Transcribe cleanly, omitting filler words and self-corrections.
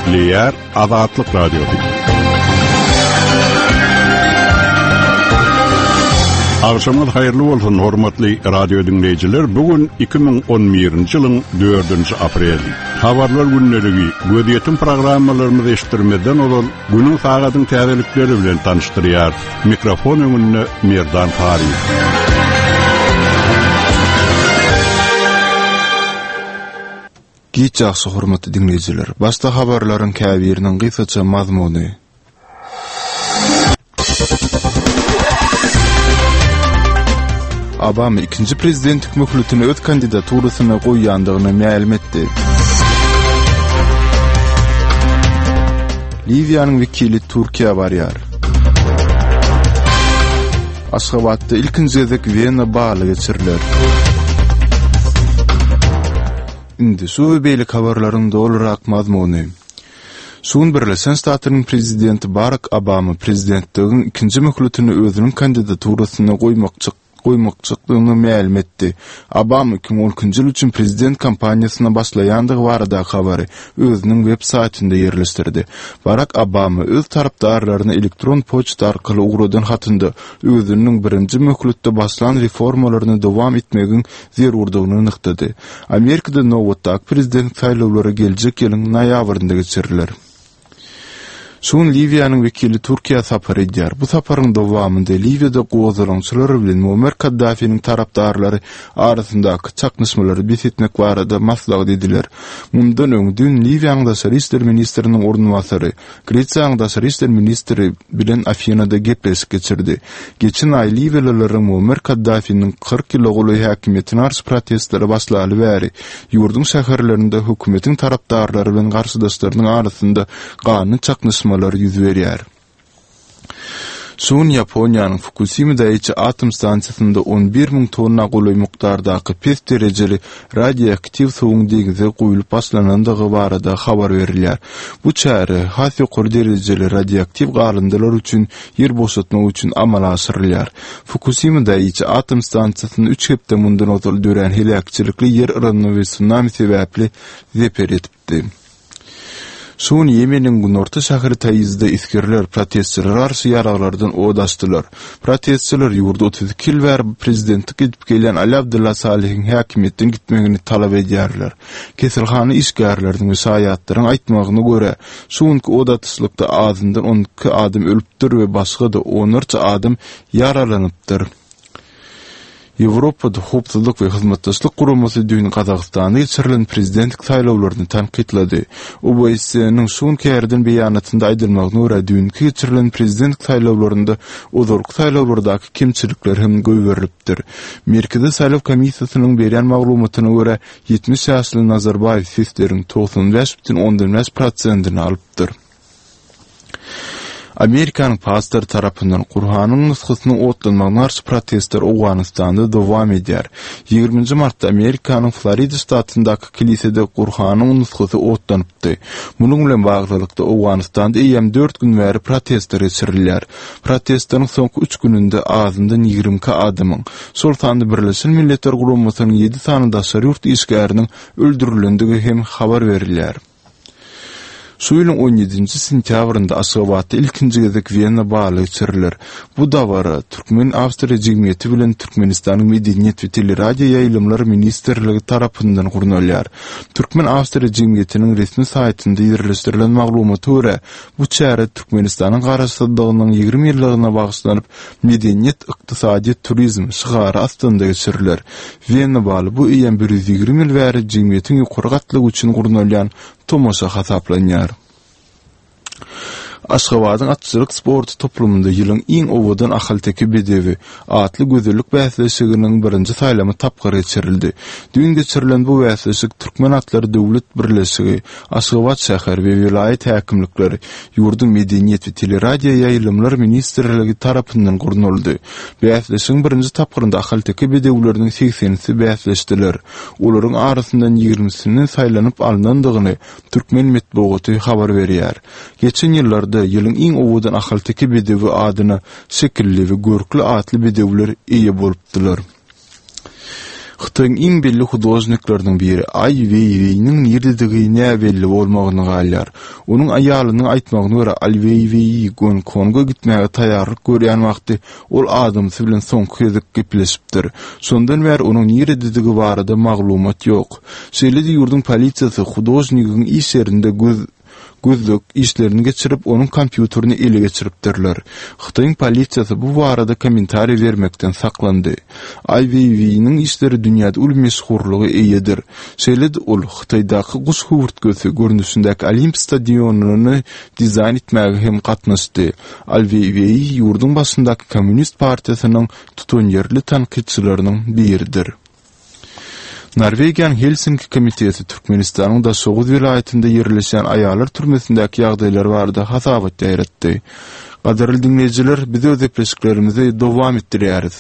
Gepleýär Azatlyk Radiosy. Agşamyňyz haýyrly bolsun, hormatly radio diňleýjiler. Bu gün 2011-nji ýylyň 4-nji apreli. Habarlar gündeligi, gözýetim programmalarymyzy eşitdirmezden ozal, günüň sagadyň täzelikleri bilen tanyşdyrýar. Mikrofon öňünde Merdan Taryýew. Giç ýagşy hormatly diňleýjiler. Başda habarlaryň käbiriniň gysgaça mazmuny. Obama ikinji prezidentlik möhletini öz kandidaturasyna goýýandygyny mälim etdi. Liwiýanyň wekili Türkiýä barýar. Aşgabatda ilkinji gezek Wena baly geçiriler. Indi şu we beýleki habarlaryň dolurak mazmuny. Şu gün Birleşen Ştatlaryň prezidenti Barak Obama prezidentligiň ikinji möhletini özüniň kandidaturasyna goýmakçy goýmakçykdygyny mälim etdi. Obama 2012-nji ýyl üçin prezident kampaniýasyna başlaýandygy baradaky habary özüniň web saýtynda ýerleşdirdi. Barak Obama öz tarapdarlaryna elektron poçta arkaly ugradan hatynda özüniň birinji möhletde başlan reformalaryny dowam etmegiň zerurdygyny nygtady. Amerikada nobatdaky prezident saýlawlary geljek ýylyň noýabrynda geçiriler. Şu gün Liwiýanyň wekili Türkiýä sapar edýär. Bu saparyň dowamynda Liwiýada gozgalaňçylar bilen Muammar Kaddafiniň tarapdarlary arasyndaky çaknyşmalary bes etmek barada maslahat ediler. Mundan öň, düýn Liwiýanyň daşary işler ministriniň orunbasary Gresiýanyň daşary işler ministri bilen Afinada gepleşik geçirdi. Geçen aý liwiýalylaryň Muammar Kaddafiniň 40 ýyla golaý häkimiýetine garşy protestleri başlaly bäri, ýurduň şäherlerinde hökümetiň tarapdarlary bilen garşydaşlarynyň arasynda ganly çaknyşmalar ýüz berýär. Şu gün Ýaponiýanyň Fukusima Daiçi atom stansiýasynda 11 müň tonna golaý mukdardaky pes derejeli radioaktiw suwuň deňze guýlup başlanandygy barada habar berilýär. Bu çäre has ýokary derejeli radioaktiw galyndylar üçin ýer boşatmak üçin amala aşyrylýar. Fukusima Daiçi atom stansiýasynda üç hepde mundan ozal dörän heläkçilikli ýer yranma we sunami sebäpli zeper ýetipdi. Şu gün Ýemeniň günorta şäheri Taizde esgerler protestçilere garşy ýaraglardan od açdylar. Protestçiler ýurda 32 ýyl bäri prezidentlik edip gelýän Ali Abdylla Salihiň häkimiýetden gitmegini talap edýärler. Keselhana işgärleriniň we şaýatlaryň aýtmagyna görä, şu günki od atyşlykda azyndan 12 adam ölüpdir we başga-da onlarça adam ýaralanypdyr. Ýewropada Howpsuzlyk we Hyzmatdaşlyk Guramasy düýn Gazagystanda geçirilen prezidentlik saýlawlaryny tankytlady. OBSE-niň şu günki ýaýradan beýanatynda aýdylmagyna görä, düýnki geçirilen prezidentlik saýlawlarynda ozalky saýlawlardaky kemçilikler hem goýberilipdir. Merkezi saýlaw komissiýasynyň berýän maglumatyna görä, 70 ýaşly Nazarbaýew sesleriň 95,5 prosentini alypdyr. Amerikanyň pastory tarapyndan Gurhanyň nusgasynyň otlanmagyna garşy protestler Owganystanda dowam edýär. Ýigriminji martda Amerikanyň Florida ştatyndaky kilisede Gurhanyň nusgasy otlanypdy. Munuň bilen baglylykda, Owganystanda eýýäm dört gün bäri protestler geçirilýär. Protestleriň soňky üç gününde azyndan 22 adamyň, şol sanda Birleşen Milletler Guramasynyň ýedi sany daşary ýurt işgäriniň öldürilendigi hem habar berilýär. Şu ýylyň on ýedinji sentýabrynda Aşgabatda ilkinji gezek Wena baly geçiriler. Bu dabara Türkmen-awstriýa jemgyýeti bilen Türkmenistanyň Medeniýet we teleradioýaýlymlar ministrligi tarapyndan gurnalýar. Türkmen-awstriýa jemgyýetiniň resmi saýtynda ýerleşdirilen maglumata görä, bu çäre Türkmenistanyň Garaşsyzlygynyň 20 ýyllygyna bagyşlanyp, Medeniýet, ykdysadyýet, turizm şygary astynda geçiriler. Wena baly bu eýýäm 120 ýyl bäri jemgyýetiň ýokary gatlagy üçin gurnalýan tomaşa hasaplanýar. Aşgabadyň atçylyk sporty toplumynda ýylyň iň owadan ahalteke bedewi atly gözellik bäsleşiginiň birinji saýlama tapgyry geçirildi. Düýn geçirilen bu bäsleşik Türkmen atlary döwlet birleşigi, Aşgabat şäher we welaýat häkimlikleri, ýurduň Medeniýet we teleradioýaýlymlar ministrligi tarapyndan gurnaldy. Bäsleşigiň birinji tapgyrynda ahalteke bedewleriniň segsenisi bäsleşdiler. Olaryň arasyndan ýigrimisiniň saýlanyp alnandygyny türkmen metbugaty habar berýär. Geçen ýyllarda ýylyň iň owadan ahalteke bedewi adyna şekilli we görkli atly bedewler eýe bolupdylar. Hytaýyň iň belli hudožnikleriniň biri Aý Weýweýniň nirededigi näbelli bolmagyna galýar. Onuň aýalynyň aýtmagyna görä, Aý Weýweý Gonkonga gitmäge taýýarlyk görýän wagty ol adamsy bilen soňky gezek gepleşipdir. Şondan bäri onuň nirededigi barada maglumat ýok. Şeýle-de ýurduň polisiýasy hudožnigiň iş ýerinde göz gözleg işlerini geçirip, onuň kompýuterini ele geçiripdirler. Hytaýyň polisiýasy bu barada kommentariý bermekden saklandy. Ai Weiwei-niň işleri dünýäde uly meşhurlyga eýedir. Şeýle-de ol Hytaýdaky guş höwürtgesi görnüşindäki Olimp stadionyny dizaýn etmäge hem gatnaşdy. Ai Weiwei ýurduň başyndaky Kommunist partiýasynyň tutanýerli tankytçylarynyň biridir. Norwegiýanyň Helsinki komiteti Türkmenistanyň Daşoguz welaýatynda ýerleşýän aýallar türmesindäki ýagdaýlar barada hasabat ýaýratdy. Gadyrly diňleýjiler, biz öz gepleşiklerimizi dowam etdirýäris.